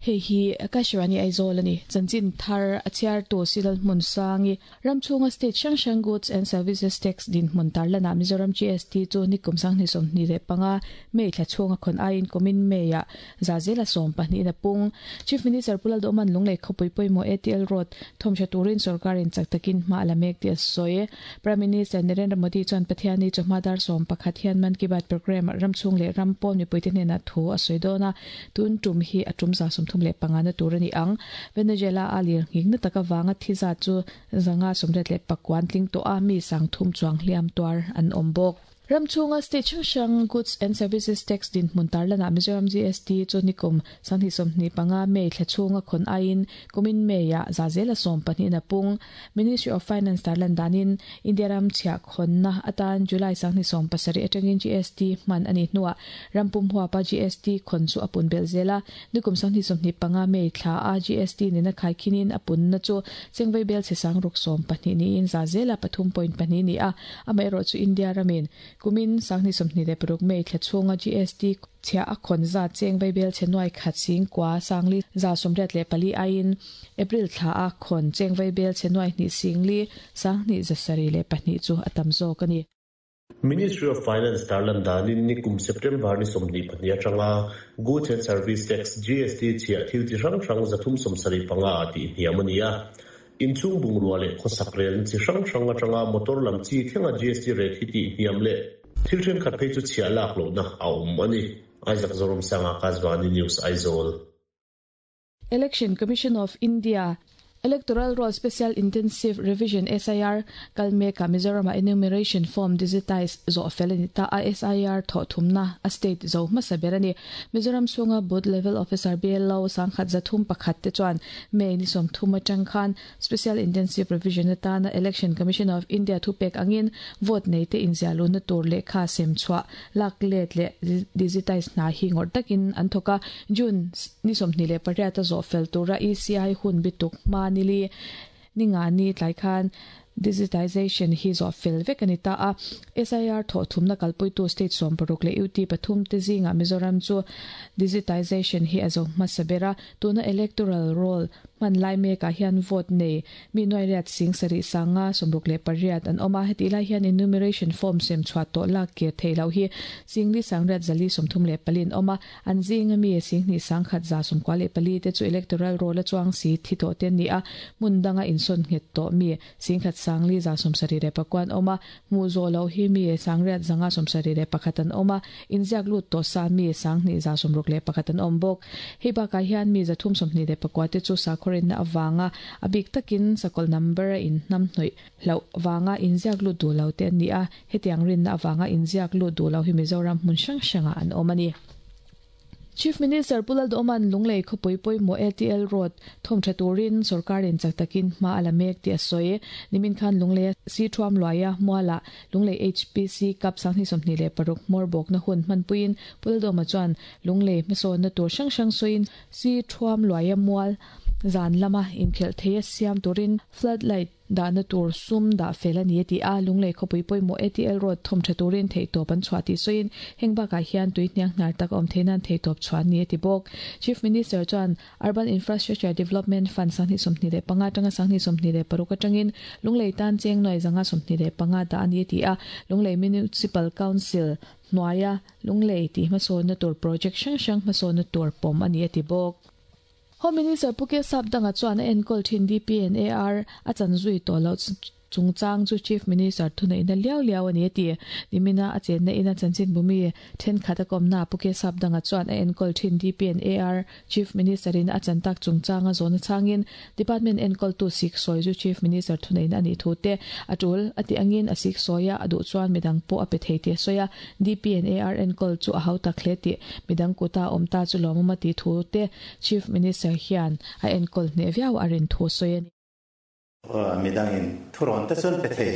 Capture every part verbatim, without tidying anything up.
Hei hi Akashvani Aizawl ani chanchin thar a chhiar tu Silal hmun sangi ramchhunga state hrang hrang goods and services tax din hmun tarlana Mizoram G S T chu nikum sanghnih sawmhnih leh panga May thla chhunga khon aiin kumin May ah zazela sawm pahnih na pung. Chief Minister Pu Lalduhoma'n Lunglei khawpui pawimawh A T L Road thawmhra turin sorkarin chak takin hma a la mek tih a sawi. Prime Minister Narendra Modi chuan Pathianni chawhma dar sawm pakhat hian Mann Ki Baat program ramchhung leh ram pawn mipuite hnenah thu a sawi dawn a, tun tum hi a tum za sawmthum leh panga na tur a ni ang. Venezuela a lir nghing na taka wanga thi za chu zanga sawmriat leh pakua an tling tawh a, mi sang thum chuang hliam tuar an awm bawk. Ramchhunga state hrang hrang goods and services tax din hmun tarlana Mizoram G S T chu nikum sanghnih sawmhnih panga May thla chhunga khon aiin kumin May ah zazela sawm pahnih na pung. Ministry of Finance tarlan danin India ram chhiah khonna atan July sanghnih sawm pasarih atangin G S T hman ani hnuah rampum huapa G S T khon chu a pun bel zela. Nikum sanghnih sawmhnih panga May thla a G S T nena khaikhinin a pun na chu chengvei bel che sang ruk sawm pahnih niin zazela pathum point pahnih ni a. Amaherawh chu India ramin kumin sanghnih sawmhnih leh paruk May thla chhunga G S T chhia a khawn zat chengvei bel che nuai khat sing kwa sangli za sawmriat leh pali aiin April thla a khawn chengvei bel che nuai hnih singli sanghnih zasarih leh pahnih chu a tam zawk ani. Ministry of Finance tarlan danin nikum September ni sawmhnih pahnih atanga Goods and Service Tax G S T chhia thil chi hrang hrang zathum sawmsarih panga tih hniam ani a. Inchhung bungrua leh khawsak rel chi hrang hrang atanga motor lam chi thlenga G S T rate hi tih hniam leh thil thenkhat phei chu chhia lak lohna a awm ani. Isaac Zoram Sanga, Akashvani News, Aizawl. Election Commission of India Electoral Roll Special Intensive Revision S I R kalmeka Mizoram enumeration form digitize zo felani ta a. S I R tho thumna a state zo hmasa ani. Mizoram chhunga booth level officer B L O sangkhat zathum pakhat te chuan May ni som thuma tangkhan Special Intensive Revision atana Election Commission of India thupek angin vote nei te inzialu na tur le kha sem chwa lak let le digitize na hi ngor takin an thoka. June ni som ni le pariat zo fel tura E C I hun bituk ma nili ninga ni tlai khan digitization hi zo fel vek ani ta a. S I R tho thumna kalpui tu state som paruk le U T pathum te zinga Mizoram chu digitization hi azo hmasabera. Tuna electoral roll man lai me ka hian vote nei mi noi riat sing sari sanga somruk le pariat an oma. Heti lai hian enumeration form sem chwa to lak ke theilo hi singli sangriat zali somthum le palin oma. An zinga mi sing ni sangkhat za som kwale pali te chu electoral roll chuang si thi to ten ni a, mundanga inson nget to mi singkhat sangli za som sari re pakwan oma. Mu zo lo hi mi sangriat zanga som sari re pakhatan oma. Inziak lut to sa mi sangni za som ruk le pakhatan om bok. Hei ba ka hian mi za thum som ni le pakwate chu sa khorin na awanga abik takin sakol number in nam hnoi lo wanga inziak lu du lo te ni a. Hetiang rin na awanga inziak lu du lo hi Mizoram hmun hrang hranga an omani. Chief Minister Pu Lalduhoma'n Lunglei khawpui pawimawh A T L Road thawmtha turin sorkarin chak takin hma a la mek tih a sawi. Nimin khan Lunglei si thuam luaia muala Lunglei H P C Cup sanghnih sawmhnih leh paruk hmawr bawkna hun hmanpuiin Pu Lalduhoma chuan Lunglei hmasawnna tur hrang hrang sawiin si thuam luaia mual zan lama inkhelh thei a siam turin floodlight dahna tur sum dah fel ani ti a. Lunglei khawpui pawimawh A T L Road thawmtha turin theihtawp an chhuah tih sawiin heng bakah hian tui hniang hnar tak awm theih nan theihtawp chhuah ani a ti bawk. Chief Minister chuan Urban Infrastructure Development Fund sanghnih sawmhnih leh panga atanga sanghnih sawmhnih leh paruk atangin Lunglei tan cheng nuai zanga sawmhnih leh panga dah ani ti a. Lunglei Municipal Council hnuaia Lunglei tih hmasawnna tur project hrang hrang hmasawnna tur pawm ani a ti bawk. Home Minister Pu K Sapdanga chuan a enkawl thin D P and A R a chan zui tawh lo chungchang chu Chief Minister thunei na liau liau ani ti. Nimina a chen na ina chanchin bumi then khata komna Pu K Sapdanga chuan a enkawl thin D P and A R Chief Minister in a chan tak chungchang a zona changin department enkawl tu sik soi chu Chief Minister thunei na ani thu te atul ati angin a sik soya adu chuan midang po a pe thei te soya. D P and A R enkawl chu a hau tak hle ti, midang kuta omta chu lomama ti thu te Chief Minister hian a enkawl hne viau arin thu soya. Midangin thuron te chuan pe thei,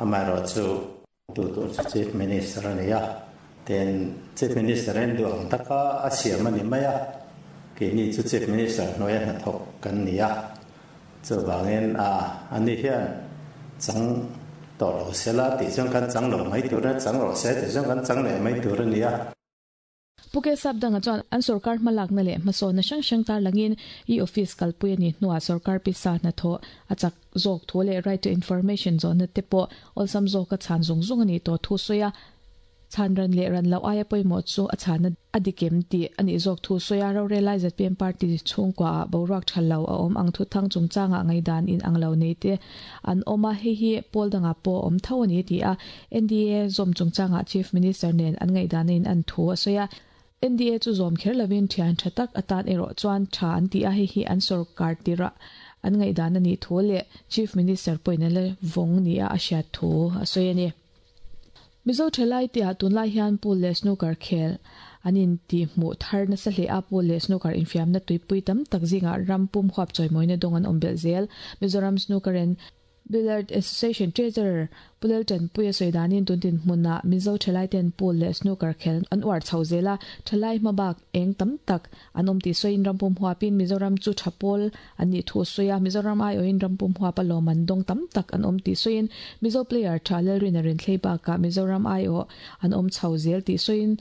amaherawh chu tu tur chu Chief Minister ani a, ten Chief Minister en du ang taka a siam ani mai a. Keini chu Chief Minister hnuaia hnathawk kan ni a, chuvangin a ani hian chang tawh lo sela tih chuan kan chang lo mai tur a, chang rawh se tih chuan kan chang leh mai tur ani a. Puke Sapdanga chuan an sorkar hmalak na leh hmasawnna hrang hrang tarlangin e-office kalpui a ni hnuah sorkar pisa hnathawh a chak zawk thu leh right to information zawnna te pawh awlsam zawka chhan zung zung a ni tawh thu sawi a. Chhan ran leh ran loh aia pawimawh chu a chhana a dikem tih a nih zawk thu sawi a. Rorel lai Z P M party chhungkuaah boruak tha lo a awm ang thuthang chungchangah ngaihdan in ang lo nei te an awm a, hei hi pawl dangah pawh awm tho a ni ti a. N D A zawm chungchangah Chief Minister nen an ngaihdan in an thu a sawi a. N D A chu zawm kher lovin thian tha tak atan erawh chuan tha an ti a, hei hi an sorkar tirah an ngaihdan a nih thu leh Chief Minister pawhin a la vawng ni a a hriat thu a sawi a ni. Mizo thalai te ah tunlai hian pool leh snooker khel an in ti hmuh thar nasa hle a, pool leh snooker infiamna tuipui tam tak zingah ram pum huap chawimawina dawng an awm belh zel. Mizoram Snooker and Billiard Association Treasurer Pulel Tanpuia sawi danin tuntin hmunah Mizo thalai ten pool leh snooker khel an uar chho zel a, thalai hmabak eng tam tak an awm tih sawiin rampum huapin Mizoram chu tha pawl an nih thu sawi a. Mizoram aiawhin rampum huap a lawm an dawng tam tak an awm tih sawiin Mizo player tha Lalrin a rin thlei bakah Mizoram aiawh an awm chho zel tih sawiin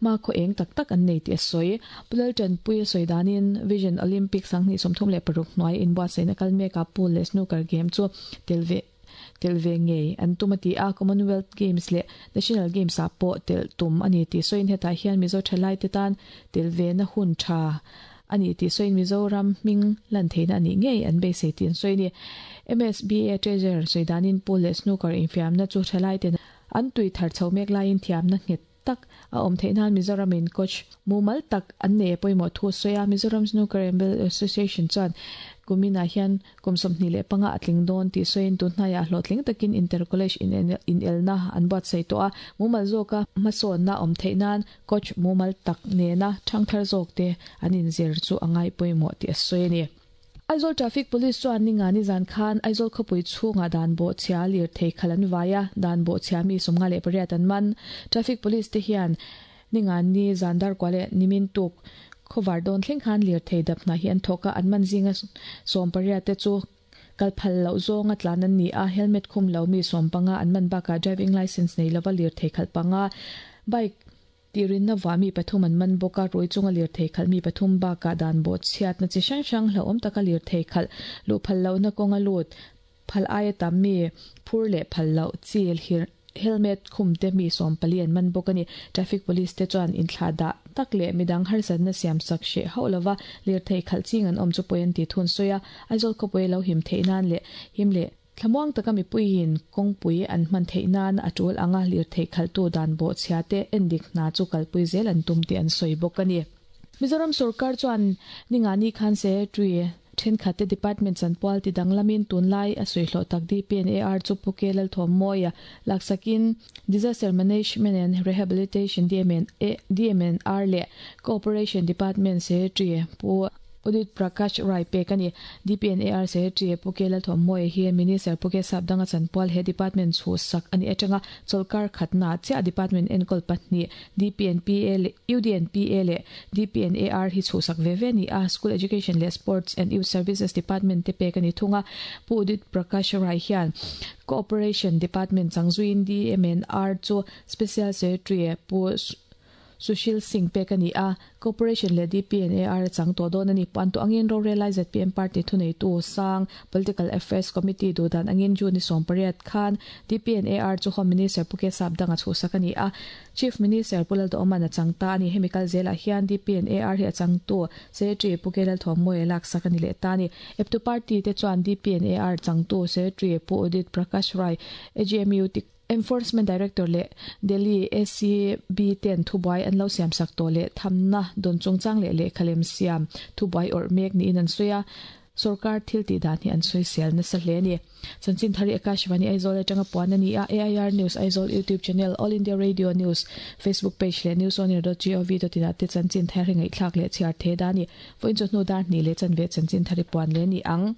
ma khaw eng tak tak an nei tih a sawi. Pulel Tanpuia sawi danin Vision Olympic sanghnih sawmthum leh paruk hnuai inbuatsaihna kal mekah pool leh snooker game chu tel ve tel ve ngei an tum a ti a, Commonwealth Games leh National Games ah pawh tel tum a ni tih sawiin hetah hian Mizo thalai te tan tel ve na hun tha a ni tih sawiin Mizoram hming lan theihna a nih ngei an beisei tih an sawi a ni. M S B A Treasurer sawi danin pool leh snooker infiamna chu thalai ten an tui thar chho mek laiin thiamna nghet tak a awm theih nan Mizoram in coach mumal tak an nei pawimawh thu sawi a. Mizoram Snooker and Billiard Association chuan kuminah hian kum sawmhnih leh panga a tling dawn tih sawiin tun hnaiah hlawhtling takin inter college in elna an buatsaih tawh a, mumal zawka hmasawnna awm theih nan coach mumal tak nena thangthar zawk te an inzir chu a ngai pawimawh tih a sawi a ni. Aizawl Traffic Police chuan ninga ni zan khan Aizawl khawpui chhungah dan bawh chhia lir thei khal an vai a, dan bawh chhia mi sawmnga leh pariat an man. Traffic Police te hian ninga ni zan dar kwa leh nimin tuk khawvar dawn thleng khan lir thei dap hna hi an thawk a, an man zinga sawm pariat te chu kal phal loh zawnga tlan an ni a, helmet khum lo mi sawm panga an man bakah driving license nei lova lir thei khalh panga, bike tirin na wa mi pathum an man bawk a, rui chunga lir thei khalh mi pathum bakah dan bawh chhiat na chi hrang hrang hlauhawm taka lir thei khalh luh phal lo na kawnga lut phal aia tam mi phur leh phal loh chi helmet khum te mi sawm pali an man bawk a ni. Traffic Police te chuan inthlah dah tak leh midang harsatna siam sak hreh hauh lova lir thei khalh ching an awm chu pawi an ti thun sawi a, Aizawl khawpui lo him theih nan leh him leh thlamuang taka mipuiin kawngpui an hman theih nan a tul anga lir thei khalhtu dan bawh chhia te endik hna chu kalpui zel an tum tih an sawi bawk a ni. Mizoram sorkar chuan ninga ni khan secretary thenkhat te department chanpual ti danglamin tunlai a sawi hlawh tak D P and A R chu Puke Lalthawmawia laksakin Disaster Management and Rehabilitation D M N D M N R leh Cooperation Department Secretary Pu Udit Prakash Rai pek a ni. D P and A R Secretary Puke Lalthawmawia hi Minister Puke Sapdanga chanpual he department chu sak ani atanga cholkar khatna chia department enkol pahnih D P N P A leh U D N P A leh D P and A R hi chu sak ve ve ni a. School Education leh Sports and Youth Services Department te pek ani thunga. Pu Udit Prakash Rai hian Cooperation Department changzuin D M N R chu Special Secretary Pu Sushil Singh pek ani a, Cooperation leh D P and A R chang to dawn ani. Pan to angin rorelai Z P M party thunei tu sang Political Affairs Committee du dan angin June som pariat khan D P and A R chu Home Minister Puke Sapdanga chu sak ani a, Chief Minister Pulal do omana chang ta ani. Hemikal zela hian D P and A R hi achang tu Secretary Puke Lalthawmawia lak sak ani leh ta ni. Eptu party te chuan D P and A R chang tu Secretary Pu Udit Prakash Rai A G M U Enforcement Director leh Delhi A C B ten thubuai an lo siam sak to leh thamna don chungchang leh leh khalem siam thubuai or mek ni in an sawi a, sarkar thil ti dan hi an sawi sel nasa hle ni. Chanchin thari Akashvani Aizawl atanga puan ani a. A I R News Aizawl YouTube channel, All India Radio News Facebook page leh newsonair dot gov dot in te chanchin thari ngai thlak leh chhiar the dani. Voin chu hnu dar ni leh chanve chanchin thari puan le ni ang.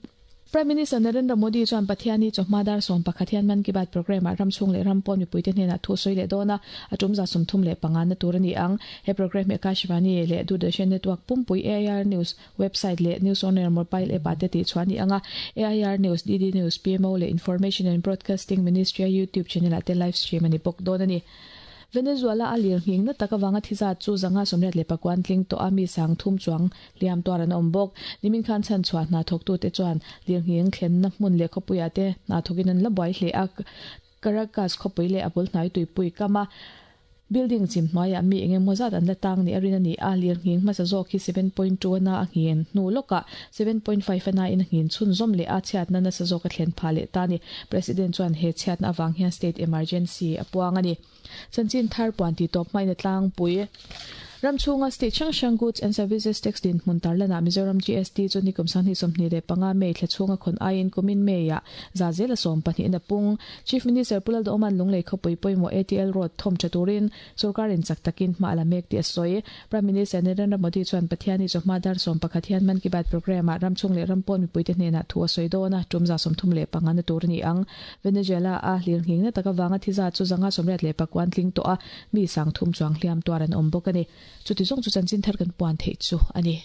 Prime Minister Narendra Modi chuan Pathiani chawhma dar sawm pakhat hian Mann Ki Baat program ah ramchhung leh rampawn mipuite hnenah thu sawi leh dawn a, a tum za sawmthum leh panga na tur a ni ang. He program hi Akashvani leh Doordarshan Network pumpui, A I R News website leh News On Air mobile app ah te tih chuan ni anga. A I R News, D D News, P M O leh Information and Broadcasting Ministry YouTube channel ah te live stream a ni bawk dawn a ni. Venezuela a lirnghing na taka wanga thiza chu zanga somriat le pakwan tling to ami sang thum chuang liam tuar an awm bawk. Nimin khan chan chhuah hna thawk tu te chuan lirnghing thlen na hmun leh khawpuia te hna thawkin an la buai hle a. Caracas khawpui leh a bul hnai tuipui kama building chim hnuaiah mi engemaw zat an la tang ni a rin a ni a. Lirnghing hmasa zawk hi seven point two ana a nghin hnu lawkah seven point five ana in a nghin chhun zawm leh a chhiatna nasa zawk a thlen phah leh ta ni. President chuan he chhiatna avang hian state emergency a puang a ni. Chanchin thar puan ti tawp hmain a tlangpui. Ram chhunga state hrang hrang goods and services tax din hmun tarlana Mizoram G S T chu nikum sanghnih sawmhnih leh panga May thla chhunga khawn aiin kumin May ah za zel a sawm pahnih in a pung. Chief Minister Pu Lalduhoman Lunglei khawpui pawimawh A T L Road thawm tha turin sorkarin chak takin hma la mek tih a sawi. Prime Minister Narendra Modi chuan Pathiani chawhma dar sawm pakhat hian Mann Ki Baat program ah ram chhung leh ram pawn mipuite hnenah thu a sawi dawn a, tum za sawmthum leh panga na tur a ni ang. Venezuela a lirnghing na taka wanga thiza chu zanga sawmriat leh pakuan tling tawh a, mi sang thum chuang hliam tuar an awm bawk a ni. Chuti zawng chu chanchin thar kan puan theih chu a ni.